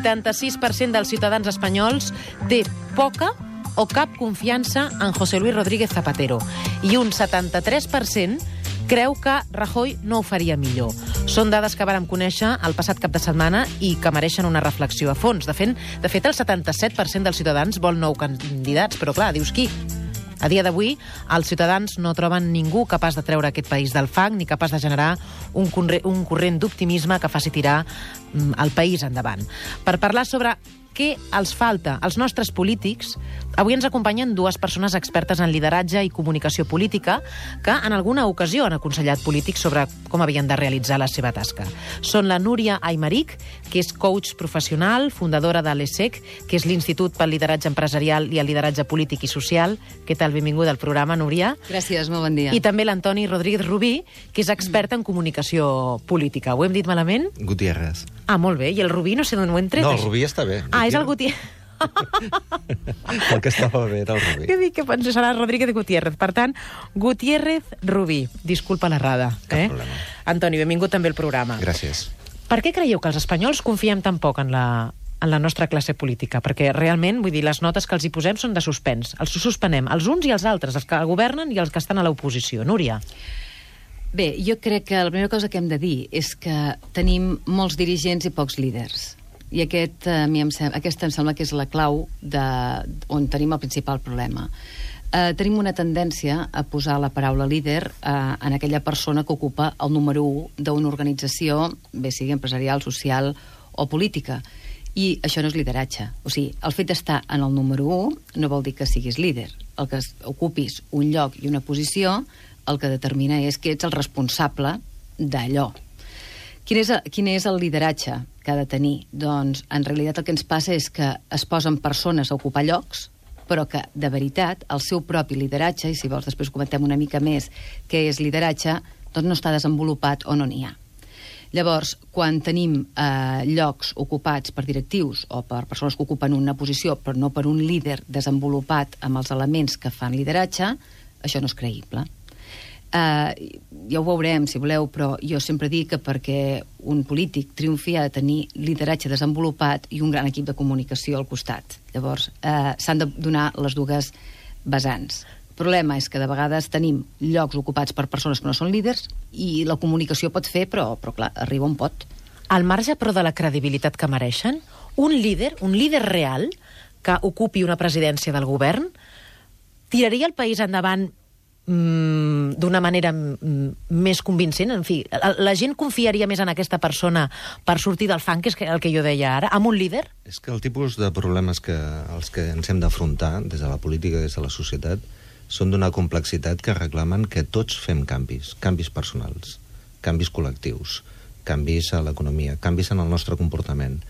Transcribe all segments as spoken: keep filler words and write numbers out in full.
vuitanta-sis per cent dels ciutadans espanyols té poca o cap confiança en José Luis Rodríguez Zapatero i un setanta-tres per cent creu que Rajoy no ho faria millor. Són dades que vàrem conèixer el passat cap de setmana i que mereixen una reflexió a fons. De fet, de fet el setanta-set per cent dels ciutadans vol nou candidats, però clar, dius qui? A dia d'avui, els ciutadans no troben ningú capaç de treure aquest país del fang ni capaç de generar un, corre un corrent d'optimisme que faci tirar mm, el país endavant. Per parlar sobre què els falta als nostres polítics, avui ens acompanyen dues persones expertes en lideratge i comunicació política que en alguna ocasió han aconsellat polítics sobre com havien de realitzar la seva tasca. Són la Núria Aymeric, que és coach professional, fundadora de l'E S E C, que és l'Institut pel Lideratge Empresarial i el Lideratge Polític i Social. Què tal? Benvinguda al programa, Núria. Gràcies, molt bon dia. I també l'Antoni Rodríguez Rubí, que és expert en comunicació política. Ho hem dit malament? Gutiérrez. Ah, molt bé. I el Rubí, no sé d'on ho hem tret? No, el Rubí està bé. Ah, és el Gutiérrez. El que estava bé era el Rubí. Què dic que penso serà Rodríguez Gutiérrez. Per tant, Gutiérrez Rubí. Disculpa l'errada. Cap eh? problema. Antoni, benvingut també al programa. Gràcies. Per què creieu que els espanyols confiem tan poc en la, en la nostra classe política? Perquè realment, vull dir, les notes que els hi posem són de suspens. Els suspenem, els uns i els altres, els que governen i els que estan a l'oposició. Núria. Bé, jo crec que la primera cosa que hem de dir és que tenim molts dirigents i pocs líders. I aquest, a mi em sembla, aquesta em sembla que és la clau de, on tenim el principal problema. Eh, tenim una tendència a posar la paraula líder eh, en aquella persona que ocupa el número u d'una organització, bé sigui empresarial, social o política. I això no és lideratge. O sigui, el fet d'estar en el número u no vol dir que siguis líder. El que ocupis un lloc i una posició, el que determina és que ets el responsable d'allò. Quin és, quin és el lideratge que ha de tenir? Doncs, en realitat, el que ens passa és que es posen persones a ocupar llocs, però que, de veritat, el seu propi lideratge, i si vols després comentem una mica més què és lideratge, doncs no està desenvolupat o no n'hi ha. Llavors, quan tenim eh, llocs ocupats per directius o per persones que ocupen una posició, però no per un líder desenvolupat amb els elements que fan lideratge, això no és creïble. Uh, ja ho veurem, si voleu, però jo sempre dic que perquè un polític triomfi ha de tenir lideratge desenvolupat i un gran equip de comunicació al costat. Llavors, uh, s'han de donar les dues vessants. El problema és que de vegades tenim llocs ocupats per persones que no són líders i la comunicació pot fer, però, però clar, arriba on pot. Al marge, però, de la credibilitat que mereixen, un líder, un líder real que ocupi una presidència del govern, tiraria el país endavant d'una manera més convincent. En fi, la gent confiaria més en aquesta persona per sortir del fang, que és el que jo deia ara, amb un líder? És que el tipus de problemes que, els que ens hem d'afrontar des de la política, des de la societat, són d'una complexitat que reclamen que tots fem canvis, canvis personals, canvis col·lectius, canvis a l'economia, canvis en el nostre comportament.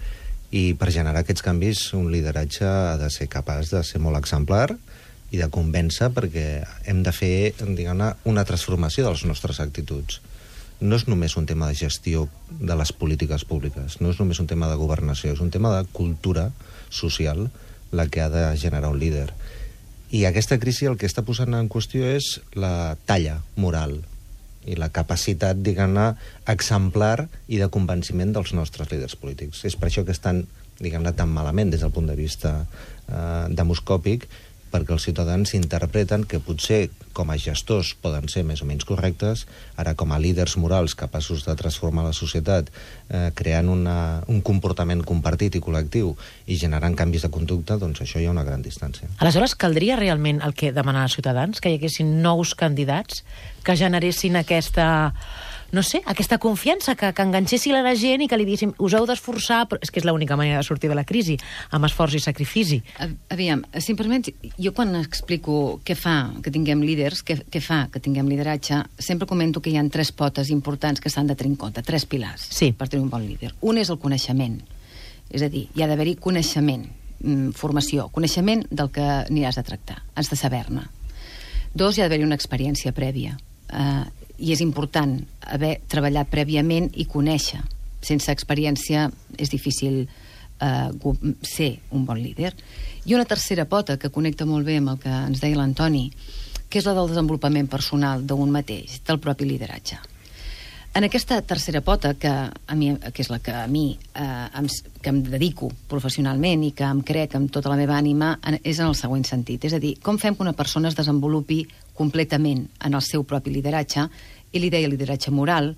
I per generar aquests canvis, un lideratge ha de ser capaç de ser molt exemplar i de convèncer, perquè hem de fer, diguem-ne, una transformació de les nostres actituds. No és només un tema de gestió de les polítiques públiques, no és només un tema de governació, és un tema de cultura social la que ha de generar un líder. I aquesta crisi el que està posant en qüestió és la talla moral i la capacitat, diguem-ne, exemplar i de convenciment dels nostres líders polítics. És per això que estan, diguem-ne, tan malament des del punt de vista eh, demoscòpic, perquè els ciutadans interpreten que potser com a gestors poden ser més o menys correctes, ara com a líders morals capaços de transformar la societat, eh, creant una, un comportament compartit i col·lectiu i generant canvis de conducta, doncs això hi ha una gran distància. Aleshores, caldria realment el que demanen els ciutadans? Que hi haguessin nous candidats que generessin aquesta, no sé, aquesta confiança, que, que enganxessin a la gent i que li diguéssim, us heu d'esforçar, però és que és l'única manera de sortir de la crisi, amb esforç i sacrifici. Aviam, si em permets, jo quan explico què fa que tinguem líders, què, què fa que tinguem lideratge, sempre comento que hi ha tres potes importants que s'han de tenir en compte, tres pilars, sí, per tenir un bon líder. Un és el coneixement, és a dir, hi ha d'haver-hi coneixement, formació, coneixement del que aniràs a tractar, has de saber-ne. Dos, hi ha d'haver-hi una experiència prèvia, eh, i és important haver treballat prèviament i conèixer. Sense experiència és difícil eh, ser un bon líder. I una tercera pota que connecta molt bé amb el que ens deia l'Antoni, que és la del desenvolupament personal d'un mateix, del propi lideratge. En aquesta tercera pota, que, a mi, que és la que a mi eh, em, que em dedico professionalment i que em crec amb tota la meva ànima, en, és en el següent sentit. És a dir, com fem que una persona es desenvolupi completament en el seu propi lideratge, i li deia lideratge moral.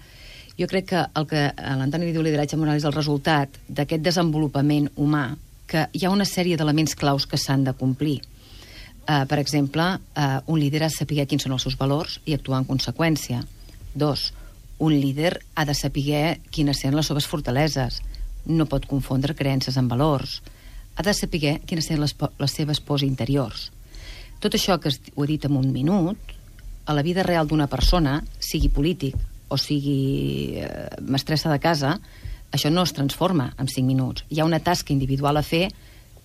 Jo crec que el que l'Antoni li diu lideratge moral és el resultat d'aquest desenvolupament humà, que hi ha una sèrie d'elements claus que s'han de complir. Uh, per exemple, uh, un líder ha de saber quins són els seus valors i actuar en conseqüència. Dos, un líder ha de saber quines són les seves fortaleses. No pot confondre creences amb valors. Ha de saber quines són les, les seves pors interiors. Tot això que ho he dit en un minut, a la vida real d'una persona, sigui polític o sigui eh, mestressa de casa, això no es transforma en cinc minuts. Hi ha una tasca individual a fer,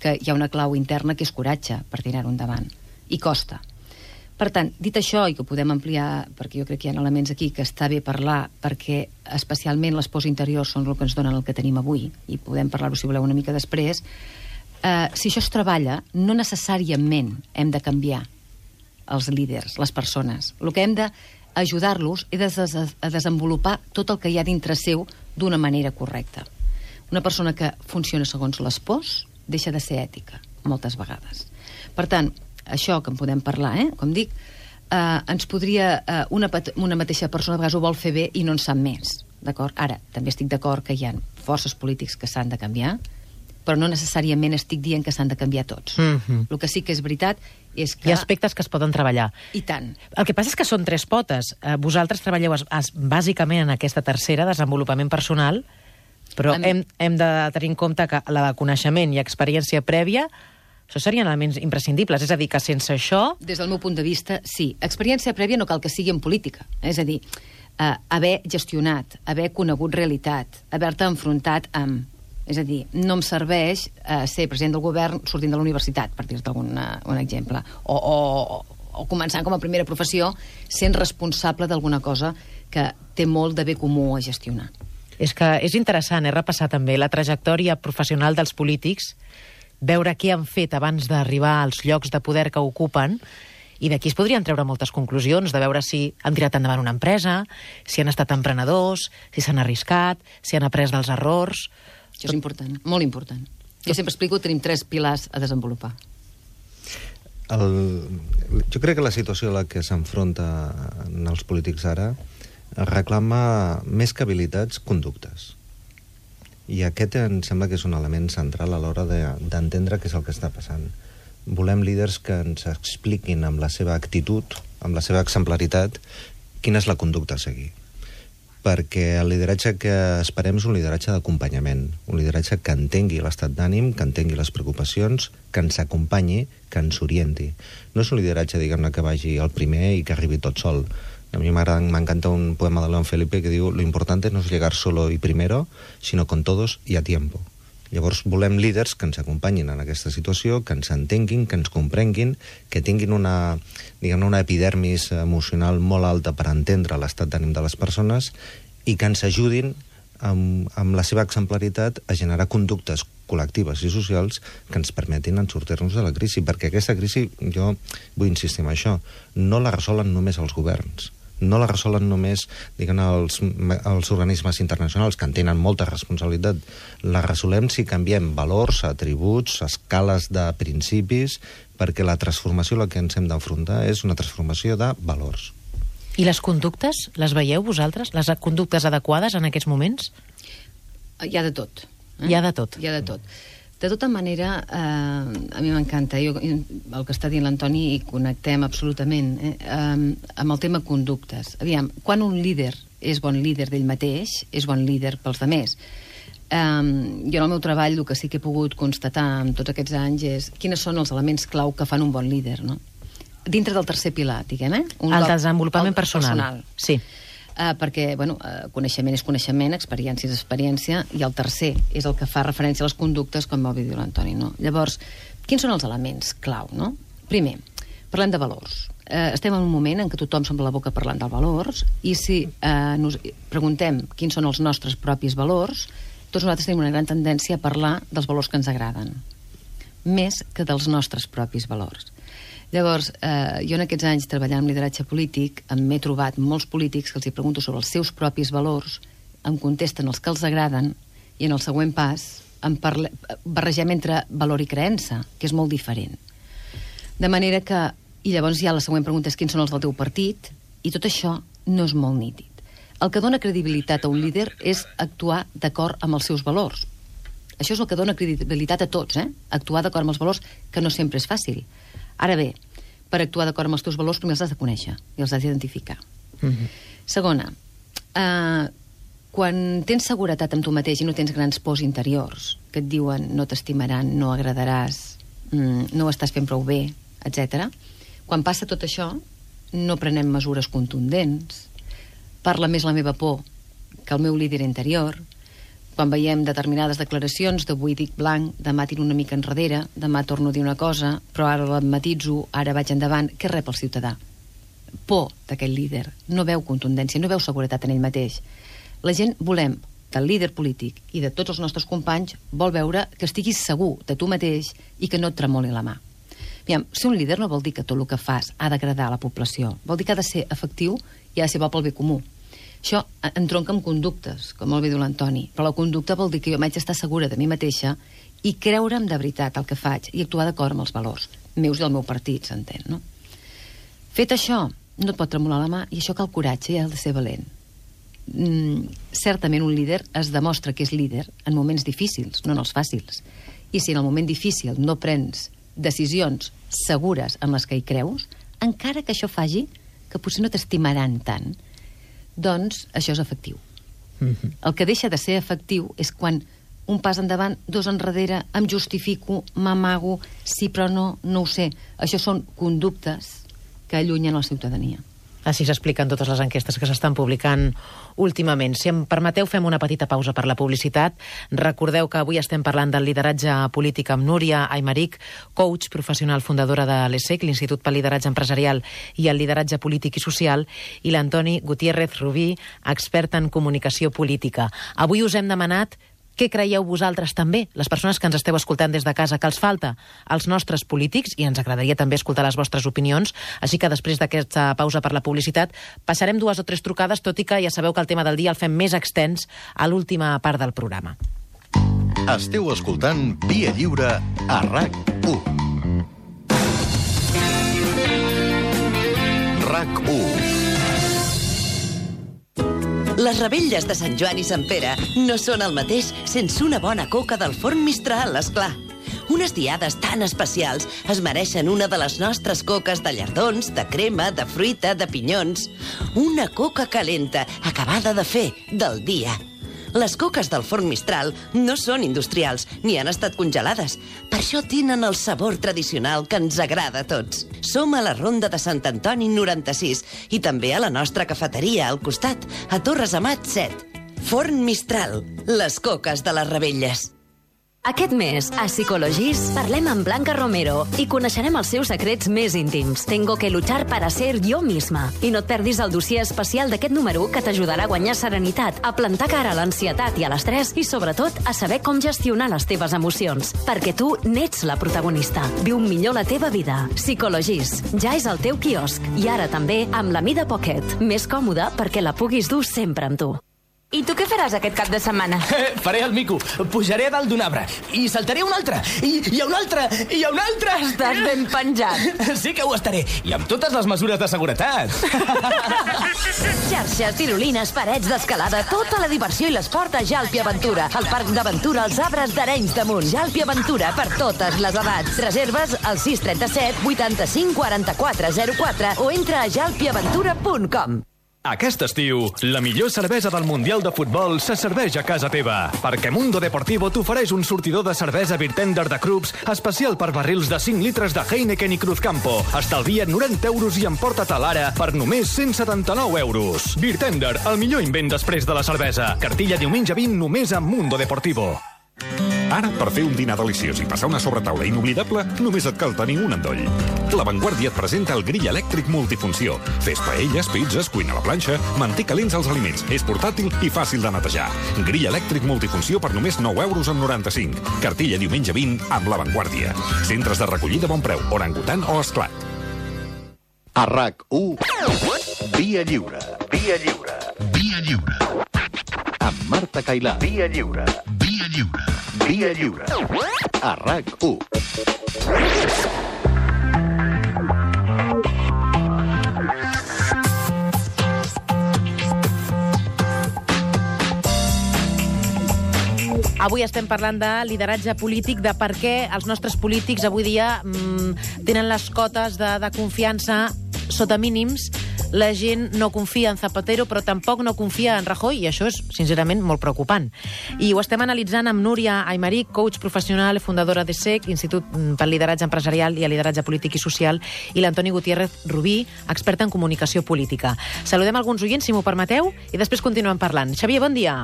que hi ha una clau interna que és coratge per tirar-ho endavant. I costa. Per tant, dit això, i que podem ampliar, perquè jo crec que hi ha elements aquí que està bé parlar, perquè especialment les pors interiors són el que ens donen el que tenim avui, i podem parlar-ho, si voleu, una mica després, eh, si això es treballa, no necessàriament hem de canviar els líders, les persones. El que hem d'ajudar-los és a desenvolupar tot el que hi ha dintre seu d'una manera correcta. Una persona que funciona segons les pors deixa de ser ètica, moltes vegades. Per tant, això que en podem parlar, eh? Com dic, eh, ens podria... Eh, una, una mateixa persona a vegades ho vol fer bé i no en sap més, d'acord? Ara, també estic d'acord que hi ha forces polítics que s'han de canviar, però no necessàriament estic dient que s'han de canviar tots. Mm-hmm. El que sí que és veritat és que... Hi ha aspectes que es poden treballar. I tant. El que passa és que són tres potes. Eh, vosaltres treballeu es, es, bàsicament en aquesta tercera, desenvolupament personal, però En- hem, hem de tenir en compte que la de coneixement i experiència prèvia, això serien elements imprescindibles. És a dir, que sense això... Des del meu punt de vista, sí. Experiència prèvia no cal que sigui en política. És a dir, eh, haver gestionat, haver conegut realitat, haver-te enfrontat amb... És a dir, no em serveix eh, ser president del govern sortint de la universitat, per dir-te algun un exemple. O, o, o començant com a primera professió sent responsable d'alguna cosa que té molt de bé comú a gestionar. És que és interessant, eh, repassar també la trajectòria professional dels polítics, veure què han fet abans d'arribar als llocs de poder que ocupen, i d'aquí es podrien treure moltes conclusions, de veure si han tirat endavant una empresa, si han estat emprenedors, si s'han arriscat, si han après dels errors... Això és important, molt important. Jo sempre explico que tenim tres pilars a desenvolupar. El, jo crec que la situació a la que s'enfronten els polítics ara reclama més que habilitats, conductes. I aquest em sembla que és un element central a l'hora de, d'entendre què és el que està passant. Volem líders que ens expliquin amb la seva actitud, amb la seva exemplaritat, quina és la conducta a seguir. Perquè el lideratge que esperem és un lideratge d'acompanyament, un lideratge que entengui l'estat d'ànim, que entengui les preocupacions, que ens acompanyi, que ens orienti. No és un lideratge, diguem-ne, que vagi al primer i que arribi tot sol. A mi m'encanta un poema de León Felipe que diu «Lo importante no es llegar solo y primero, sino con todos y a tiempo». Llavors volem líders que ens acompanyin en aquesta situació, que ens entenguin, que ens comprenguin, que tinguin una, diguem-ne, una epidermis emocional molt alta per entendre l'estat d'ànim de les persones i que ens ajudin amb, amb la seva exemplaritat a generar conductes col·lectives i socials que ens permetin en sortir-nos de la crisi, perquè aquesta crisi, jo vull insistir en això, no la resolen només els governs, no la resolen només, diguem-ne, els, els organismes internacionals, que en tenen molta responsabilitat. La resolem si canviem valors, atributs, escales de principis, perquè la transformació a la que ens hem d'enfrontar és una transformació de valors. I les conductes, les veieu vosaltres? Les conductes adequades en aquests moments? Hi ha de tot. Eh? Hi ha de tot. Hi ha de tot. De tota manera, eh, a mi m'encanta jo, el que està dient l'Antoni i connectem absolutament eh, eh, amb el tema conductes. Aviam, quan un líder és bon líder d'ell mateix, és bon líder pels demés. Eh, jo en el meu treball el que sí que he pogut constatar en tots aquests anys és quines són els elements clau que fan un bon líder, no? Dintre del tercer pilar, diguem, eh? Un el cop- desenvolupament el personal. personal. Sí. Uh, perquè, bueno, uh, coneixement és coneixement, experiència és experiència, i el tercer és el que fa referència a les conductes, com va dir l'Antoni, no? Llavors, quins són els elements clau, no? Primer, parlem de valors. Uh, estem en un moment en què tothom s'omple la boca parlant dels valors, i si uh, nos preguntem quins són els nostres propis valors, tots nosaltres tenim una gran tendència a parlar dels valors que ens agraden, més que dels nostres propis valors. Llavors, eh, jo en aquests anys treballant amb lideratge polític m'he trobat molts polítics que els hi pregunto sobre els seus propis valors, em contesten els que els agraden i en el següent pas em parle... barregem entre valor i creença, que és molt diferent. De manera que... I llavors ja la següent pregunta és quins són els del teu partit, i tot això no és molt nítid. El que dona credibilitat a un líder és actuar d'acord amb els seus valors. Això és el que dona credibilitat a tots, eh? Actuar d'acord amb els valors, que no sempre és fàcil. Ara bé, per actuar d'acord amb els teus valors primer els has de conèixer i els has d'identificar. Mm-hmm. Segona, eh, quan tens seguretat amb tu mateix i no tens grans pors interiors que et diuen no t'estimaran, no agradaràs, mm, no ho estàs fent prou bé, etcètera, quan passa tot això, no prenem mesures contundents, parla més la meva por que el meu líder interior, quan veiem determinades declaracions d'avui dic blanc, demà tiro una mica enrere, demà torno a dir una cosa, però ara la matitzo, ara vaig endavant, què rep el ciutadà? Por d'aquell líder, no veu contundència, no veu seguretat en ell mateix. La gent volem, del líder polític i de tots els nostres companys, vol veure que estiguis segur de tu mateix i que no et tremoli la mà. Aviam, ser un líder no vol dir que tot el que fas ha d'agradar a la població. Vol dir que ha de ser efectiu i ha de ser bo pel bé comú. Això entronca amb conductes, com molt bé diu l'Antoni, però la conducta vol dir que jo m'haig d'estar segura de mi mateixa i creure'm de veritat el que faig i actuar d'acord amb els valors meus i el meu partit, s'entén, no? Fet això, no et pot tremolar la mà i això cal coratge i ha de ser valent. Mm, certament un líder es demostra que és líder en moments difícils, no en els fàcils. I si en el moment difícil no prens decisions segures en les que hi creus, encara que això faci que potser no t'estimaran tant, doncs això és efectiu. Mm-hmm. El que deixa de ser efectiu és quan un pas endavant, dos enrere, em justifico, m'amago, sí però no, no ho sé. Això són conductes que allunyen la ciutadania. Així s'expliquen totes les enquestes que s'estan publicant últimament. Si em permeteu, fem una petita pausa per la publicitat. Recordeu que avui estem parlant del lideratge polític amb Núria Aymerich, coach professional fundadora de l'E S E C, l'Institut pel Lideratge Empresarial i el Lideratge Polític i Social, i l'Antoni Gutiérrez Rubí, expert en comunicació política. Avui us hem demanat què creieu vosaltres també, les persones que ens esteu escoltant des de casa, que els falta als nostres polítics, i ens agradaria també escoltar les vostres opinions, així que després d'aquesta pausa per la publicitat passarem dues o tres trucades, tot i que ja sabeu que el tema del dia el fem més extens a l'última part del programa. Esteu escoltant Via Lliure a RAC u. RAC u. Les revetlles de Sant Joan i Sant Pere no són el mateix sense una bona coca del forn Mistral, esclar. Unes diades tan especials es mereixen una de les nostres coques de llardons, de crema, de fruita, de pinyons. Una coca calenta, acabada de fer, del dia. Les coques del forn Mistral no són industrials, ni han estat congelades. Per això tenen el sabor tradicional que ens agrada a tots. Som a la Ronda de Sant Antoni noranta-sis i també a la nostra cafeteria al costat, a Torres Amat set. Forn Mistral, les coques de les Revetlles. Aquest mes, a Psicologis, parlem amb Blanca Romero i coneixerem els seus secrets més íntims. Tengo que luchar para ser yo misma. I no et perdis el dossier especial d'aquest número que t'ajudarà a guanyar serenitat, a plantar cara a l'ansietat i a l'estrès i, sobretot, a saber com gestionar les teves emocions. Perquè tu n'ets la protagonista. Viu millor la teva vida. Psicologis. Ja és al teu quiosc. I ara també amb la mida Pocket. Més còmoda perquè la puguis dur sempre amb tu. I tu què faràs aquest cap de setmana? Eh, faré el mico. Pujaré a dalt d'un arbre. I saltaré un altre. I, i un altre. I un altre. Estàs ben penjat. Sí que ho estaré. I amb totes les mesures de seguretat. Xarxes, tirolines, parets d'escalada, tota la diversió i l'esport a Jalpi Aventura. El parc d'aventura als arbres d'Arenys de Munt. Jalpi Aventura per totes les edats. Reserves al sis trenta-set vuitanta-cinc quaranta-quatre zero quatre o entra a jalpi aventura punt com. Aquest estiu, la millor cervesa del Mundial de Futbol se serveix a casa teva, perquè Mundo Deportivo t'ofereix un sortidor de cervesa Birtender de Krups especial per barrils de cinc litres de Heineken i Cruzcampo. Estalvia't noranta euros i emporta-te l'ara per només cent setanta-nou euros. Birtender, el millor invent després de la cervesa. Cartilla diumenge vint només a Mundo Deportivo. Ara, per fer un dinar deliciós i passar una sobretaula inoblidable, només et cal tenir un endoll. La Vanguardia et presenta el grill elèctric multifunció. Fes paelles, pizzas, cuina a la planxa, manté calents els aliments. És portàtil i fàcil de netejar. Grill elèctric multifunció per només nou euros amb noranta-cinc. Cartilla diumenge vint amb La Vanguardia. Centres de recollida a bon preu, Orangutan o Esclat. A RAC u, Via Lliure. Via Lliure. Via Lliure. Amb Marta Cailà. Via Lliure. Via Lliure. Via Lliure. A RAC u. Avui estem parlant de lideratge polític, de per què els nostres polítics avui dia mmm, tenen les cotes de, de confiança sota mínims. La gent no confia en Zapatero, però tampoc no confia en Rajoy, i això és, sincerament, molt preocupant. I ho estem analitzant amb Núria Aymeric, coach professional, fundadora de S E C, Institut pel Lideratge Empresarial i el Lideratge Polític i Social, i l'Antoni Gutiérrez Rubí, experta en comunicació política. Saludem alguns oients, si m'ho permeteu, i després continuem parlant. Xavier, bon dia.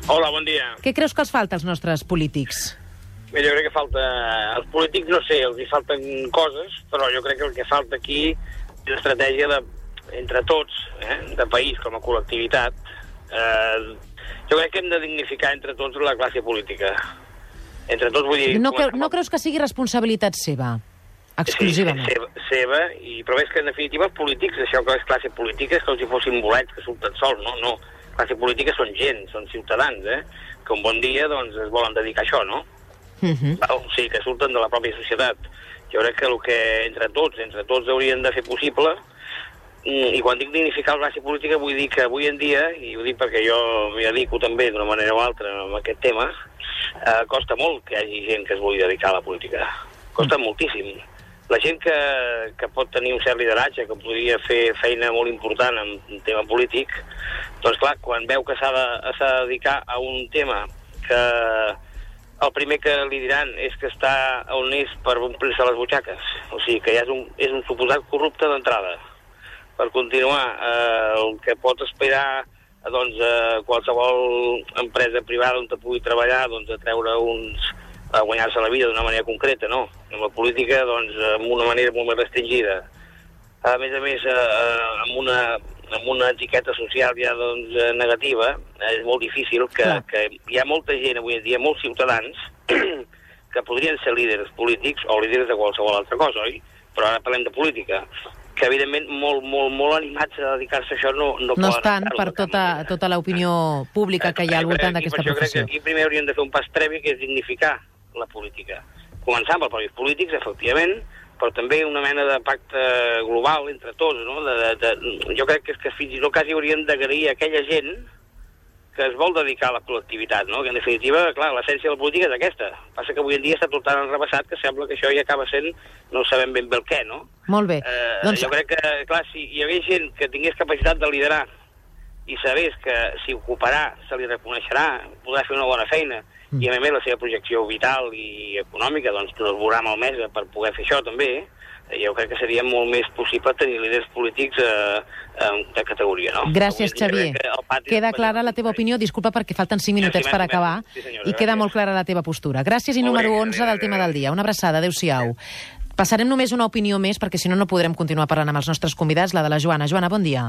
Hola, bon dia. Què creus que els falta als nostres polítics? Bé, jo crec que falta... Els polítics, no sé, els hi falten coses, però jo crec que el que falta aquí és estratègia de, entre tots, eh, de país com a col·lectivitat. Eh, jo crec que hem de dignificar entre tots la classe política. Entre tots, vull dir... No, creu, no creus que sigui responsabilitat seva, exclusivament? Sí, seva, seva i, però és que, en definitiva, els polítics, això que és classe política, és com si fossin bolets que surten sols, no? No. Classe política són gent, són ciutadans, eh? Que un bon dia, doncs, es volen dedicar a això, no? Uh-huh. O sigui, que surten de la pròpia societat. Jo crec que el que entre tots, entre tots haurien de fer possible, i quan dic dignificar la classe política vull dir que avui en dia, i ho dic perquè jo m'hi dedico també d'una manera o altra a aquest tema, eh, costa molt que hi hagi gent que es vulgui dedicar a la política. Costa uh-huh. moltíssim. La gent que, que pot tenir un cert lideratge, que podria fer feina molt important en un tema polític, doncs clar, quan veu que s'ha de, s'ha de dedicar a un tema que el primer que li diran és que està on és per omplir-se les butxaques, o sigui que ja és un, és un suposat corrupte d'entrada. Per continuar, eh, el que pot esperar doncs, eh, qualsevol empresa privada on te pugui treballar, doncs, a treure uns... a guanyar-se la vida d'una manera concreta, no? En la política, doncs, amb una manera molt més restringida. A més a més, eh, amb, una, amb una etiqueta social ja doncs, negativa, és molt difícil que, que hi ha molta gent avui en dia, molts ciutadans, que podrien ser líders polítics o líders de qualsevol altra cosa, oi? Però ara parlem de política, que evidentment molt, molt, molt animats a dedicar-se a això no, no, no estan per tota, tota l'opinió pública que hi ha al voltant d'aquesta professió. Jo crec que aquí primer hauríem de fer un pas previ, que és dignificar la política. Començar amb els propis polítics, efectivament, però també una mena de pacte global entre tots, no? De, de, de, jo crec que, és que fins i tot quasi hauríem d'agrair a aquella gent que es vol dedicar a la col·lectivitat, no? Que en definitiva, clar, l'essència de la política és aquesta. Passa que avui en dia està tot tan enrebaçat que sembla que això ja acaba sent, no sabem ben bé el què, no? Molt bé. Eh, doncs... Jo crec que, clar, si hi hagués gent que tingués capacitat de liderar i sabés que si ocuparà se li reconeixerà, podrà fer una bona feina, i a més la seva projecció vital i econòmica doncs no es veurà malmesa per poder fer això també, jo crec que seria molt més possible tenir líders polítics eh, de categoria, no? Gràcies, Xavier. Queda clara la teva opinió, disculpa perquè falten cinc minutets per acabar, i queda molt clara la teva postura. Gràcies i número onze del tema del dia. Una abraçada, adéu-siau. Passarem només una opinió més, perquè si no, no podrem continuar parlant amb els nostres convidats, la de la Joana. Joana, bon dia.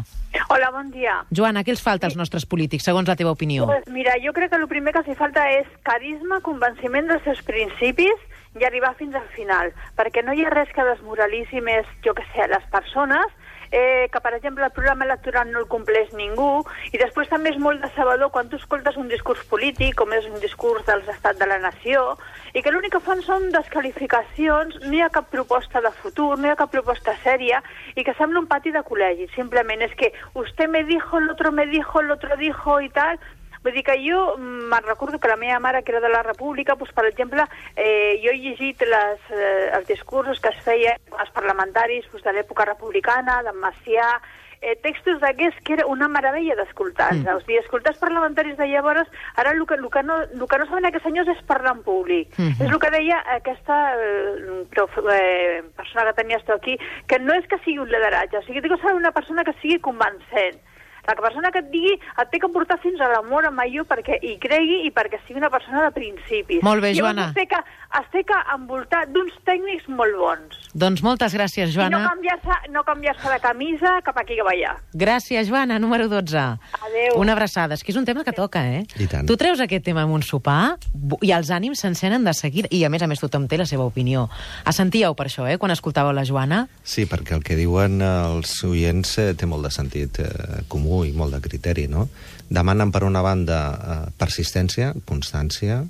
Hola, bon dia. Joana, què els falta als nostres polítics, segons la teva opinió? Pues mira, jo crec que el primer que els falta és carisma, convenciment dels seus principis i arribar fins al final, perquè no hi ha res que desmoralitzi més, jo que sé, les persones, eh, que, per exemple, el programa electoral no el compleix ningú, i després també és molt decebedor quan tu escoltes un discurs polític, com és un discurs dels estats de la nació, i que l'únic que fan són desqualificacions, no hi ha cap proposta de futur, no hi ha cap proposta sèria, i que sembla un pati de col·legi. Simplement és que usted me dijo, el otro me dijo, el otro dijo i tal. Vull dir que jo me'n recordo que la meva mare, que era de la República, doncs, per exemple, eh, jo he llegit les, eh, els discursos que es feien als parlamentaris doncs, de l'època republicana, d'en Macià, eh, textos d'aquests que era una meravella d'escoltar-los. Mm. O sigui, escoltar els parlamentaris de llavors, ara el que, el que, no, el que no saben aquests senyors és parlar en públic. Mm -hmm. És el que deia aquesta eh, prof, eh, persona que tenies tu aquí, que no és que sigui un lideratge, o sigui, dic que s'ha una persona que sigui convencent. La persona que et digui et té que portar fins a l'amor amb allò perquè hi cregui i perquè sigui una persona de principis. Molt bé, Joana. Llavors es té que, es té que envoltar d'uns tècnics molt bons. Doncs moltes gràcies, Joana. I no canviar-se no canviar-se de camisa cap aquí cap allà. Gràcies, Joana, número dotze. Adéu. Una abraçada. És que és un tema que toca, eh? I tant. Tu treus aquest tema amb un sopar i els ànims s'encenen de seguida. I, a més a més, tothom té la seva opinió. Assentíeu per això, eh, quan escoltàveu la Joana? Sí, perquè el que diuen els oients eh, té molt de sentit eh, comú i molt de criteri, no? Demanen, per una banda, eh, persistència, constància,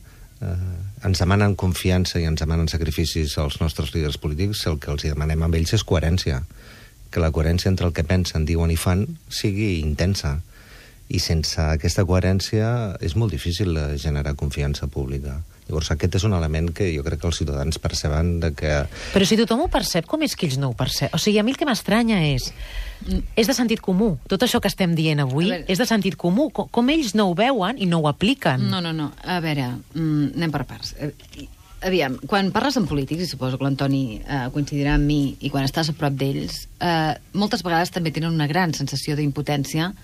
eh, ens demanen confiança i ens demanen sacrificis als nostres líders polítics. El que els demanem amb ells és coherència. Que la coherència entre el que pensen, diuen i fan sigui intensa. I sense aquesta coherència és molt difícil generar confiança pública. Llavors aquest és un element que jo crec que els ciutadans perceben de que... Però si tothom ho percep, com és que ells no ho percep? O sigui, a mi el que m'estranya és... És de sentit comú. Tot això que estem dient avui veure, és de sentit comú. Com, com ells no ho veuen i no ho apliquen. No, no, no. A veure, mm, anem per parts. Aviam, quan parles amb polítics, i suposo que l'Antoni eh, coincidirà amb mi, i quan estàs a prop d'ells, eh, moltes vegades també tenen una gran sensació d'impotència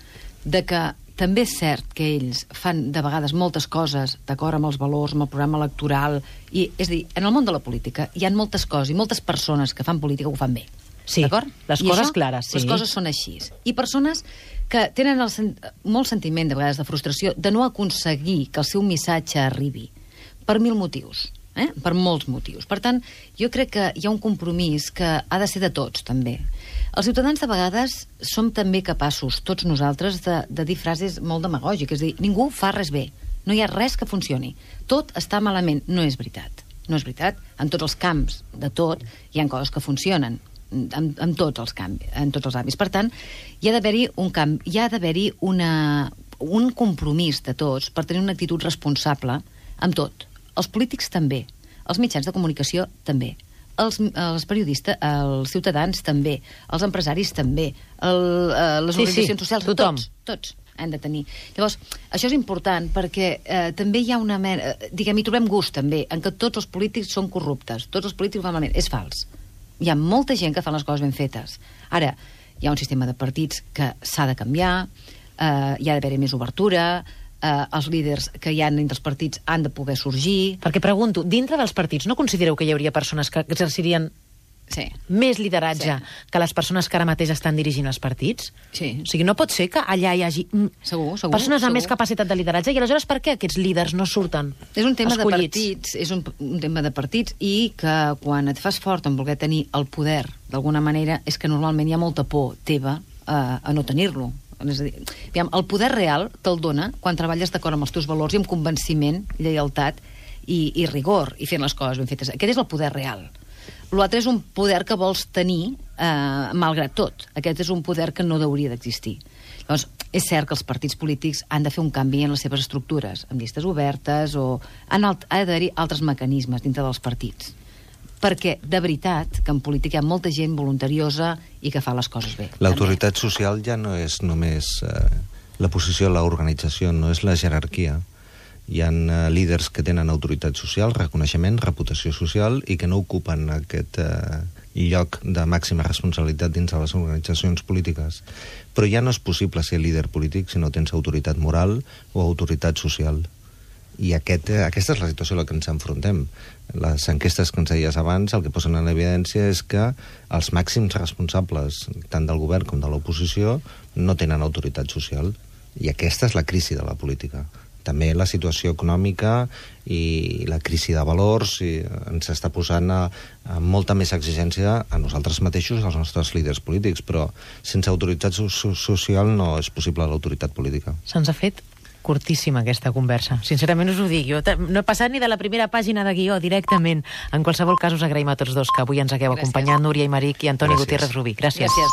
de que també és cert que ells fan de vegades moltes coses d'acord amb els valors, amb el programa electoral, i, és a dir, en el món de la política hi ha moltes coses i moltes persones que fan política ho fan bé. Sí, d'acord? les I coses això, clares, sí. Les coses són així. I persones que tenen el sen molt sentiment, de vegades, de frustració de no aconseguir que el seu missatge arribi per mil motius. Eh? Per molts motius. Per tant, jo crec que hi ha un compromís que ha de ser de tots, també. Els ciutadans, de vegades, som també capaços, tots nosaltres, de, de dir frases molt demagògiques, és a dir, ningú fa res bé, no hi ha res que funcioni, tot està malament. No és veritat. No és veritat. En tots els camps, de tot, hi ha coses que funcionen, en, en tots els canvis, en tots els àmbits. Per tant, hi ha d'haver-hi un camp, hi ha d'haver-hi una, un compromís de tots per tenir una actitud responsable amb tot. Els polítics també, els mitjans de comunicació també, els, els periodistes, els ciutadans també, els empresaris també, el, eh, les sí, organitzacions sí, socials, tothom. tots, tots han de tenir. Llavors, això és important perquè eh, també hi ha una mena, eh, diguem, hi trobem gust també, en que tots els polítics són corruptes, tots els polítics van malament. És fals. Hi ha molta gent que fan les coses ben fetes. Ara, hi ha un sistema de partits que s'ha de canviar, eh, hi ha d'haver més obertura, Uh, els líders que hi ha entre els partits han de poder sorgir. Perquè pregunto, dintre dels partits no considereu que hi hauria persones que exercirien sí. més lideratge sí. que les persones que ara mateix estan dirigint els partits? Sí. O sigui, no pot ser que allà hi hagi segur, segur, persones segur. amb més capacitat de lideratge i aleshores per què aquests líders no surten És un tema escollits? de partits, és un, un tema de partits i que quan et fas fort en voler tenir el poder d'alguna manera és que normalment hi ha molta por teva a, a no tenir-lo. És a dir, aviam, el poder real te'l dona quan treballes d'acord amb els teus valors i amb convenciment, lleialtat i, i rigor, i fent les coses ben fetes. Aquest és el poder real. L'altre és un poder que vols tenir eh, malgrat tot. Aquest és un poder que no hauria d'existir. Llavors, és cert que els partits polítics han de fer un canvi en les seves estructures, amb llistes obertes o... Han alt, ha d'haver-hi altres mecanismes dintre dels partits. Perquè, de veritat, que en política hi ha molta gent voluntariosa i que fa les coses bé. L'autoritat social ja no és només eh, la posició de l'organització, no és la jerarquia. Hi ha eh, líders que tenen autoritat social, reconeixement, reputació social i que no ocupen aquest eh, lloc de màxima responsabilitat dins de les organitzacions polítiques. Però ja no és possible ser líder polític si no tens autoritat moral o autoritat social. I aquest, aquesta és la situació a la que ens enfrontem. Les enquestes que ens deies abans el que posen en evidència és que els màxims responsables tant del govern com de l'oposició no tenen autoritat social. I aquesta és la crisi de la política. També la situació econòmica i la crisi de valors i ens està posant a, a molta més exigència a nosaltres mateixos, als nostres líders polítics, però sense autoritat so social no és possible l'autoritat política. Se'ns ha fet curtíssima aquesta conversa. Sincerament us ho dic. Jo no he passat ni de la primera pàgina de guió directament. En qualsevol cas us agraïm a tots dos que avui ens hagueu Gràcies. acompanyat, Núria Imeric i Antoni Gràcies. Gutiérrez Rubí. Gràcies. Gràcies.